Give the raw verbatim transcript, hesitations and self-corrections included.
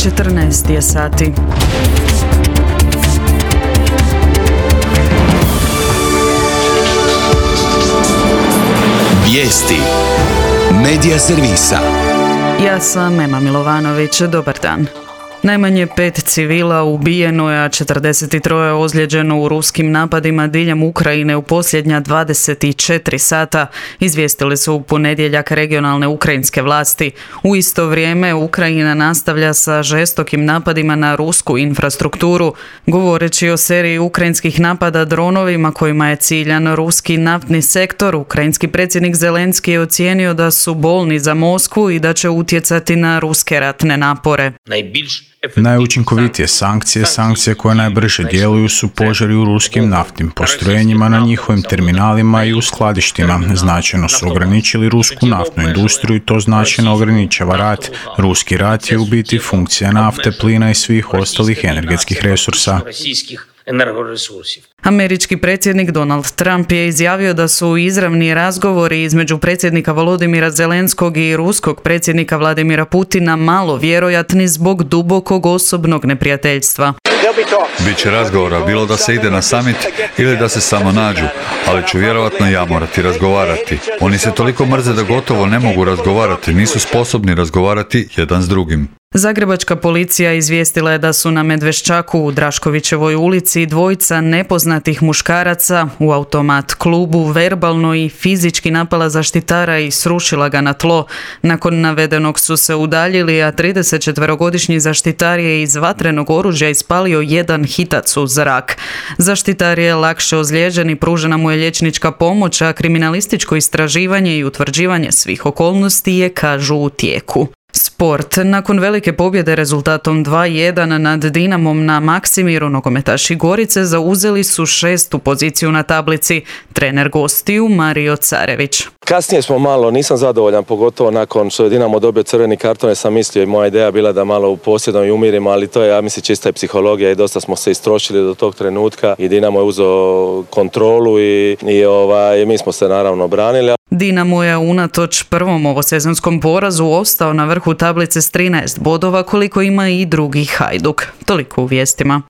četrnaest je sati. Vijesti Medija servisa. Ja sam Ema Milovanović, dobar dan. Najmanje pet civila ubijeno je, a četrdeset tri ozlijeđeno u ruskim napadima diljem Ukrajine u posljednja dvadeset četiri sata, izvijestili su u ponedjeljak regionalne ukrajinske vlasti. U isto vrijeme Ukrajina nastavlja sa žestokim napadima na rusku infrastrukturu, govoreći o seriji ukrajinskih napada dronovima kojima je ciljan ruski naftni sektor. Ukrajinski predsjednik Zelenski je ocijenio da su bolni za Moskvu i da će utjecati na ruske ratne napore. Najučinkovitije sankcije, sankcije koje najbrže djeluju su požari u ruskim naftnim postrojenjima na njihovim terminalima i u skladištima. Značajno su ograničili rusku naftnu industriju i to značajno ograničava rat. Ruski rat je u biti funkcija nafte, plina i svih ostalih energetskih resursa. Američki predsjednik Donald Trump je izjavio da su izravni razgovori između predsjednika Volodimira Zelenskog i ruskog predsjednika Vladimira Putina malo vjerojatni zbog dubokog osobnog neprijateljstva. Biće razgovora, bilo da se ide na summit ili da se samo nađu, ali ću vjerojatno ja morati razgovarati. Oni se toliko mrze da gotovo ne mogu razgovarati, nisu sposobni razgovarati jedan s drugim. Zagrebačka policija izvijestila je da su na Medveščaku u Draškovićevoj ulici dvojica nepoznatih muškaraca u automat klubu verbalno i fizički napala zaštitara i srušila ga na tlo. Nakon navedenog su se udaljili, a tridesetčetverogodišnji zaštitar je iz vatrenog oružja ispalio jedan hitac u zrak. Zaštitar je lakše ozlijeđen i pružena mu je liječnička pomoć, a kriminalističko istraživanje i utvrđivanje svih okolnosti je, kažu, u tijeku. Sport. Nakon velike pobjede rezultatom dva jedan nad Dinamom na Maksimiru, nogometaši Gorice zauzeli su šestu poziciju na tablici. Trener gostiju Mario Carević. Kasnije smo malo, nisam zadovoljan, pogotovo nakon što je Dinamo dobio crveni karton, jer sam mislio i moja ideja bila da malo uposjedom i umirimo, ali to je, ja mislim, čista je psihologija i dosta smo se istrošili do tog trenutka i Dinamo je uzeo kontrolu i, i ovaj, mi smo se naravno branili. Dinamo je unatoč prvom ovosezonskom porazu ostao na vrhu tablice s trinaest bodova, koliko ima i drugi Hajduk. Toliko u vijestima.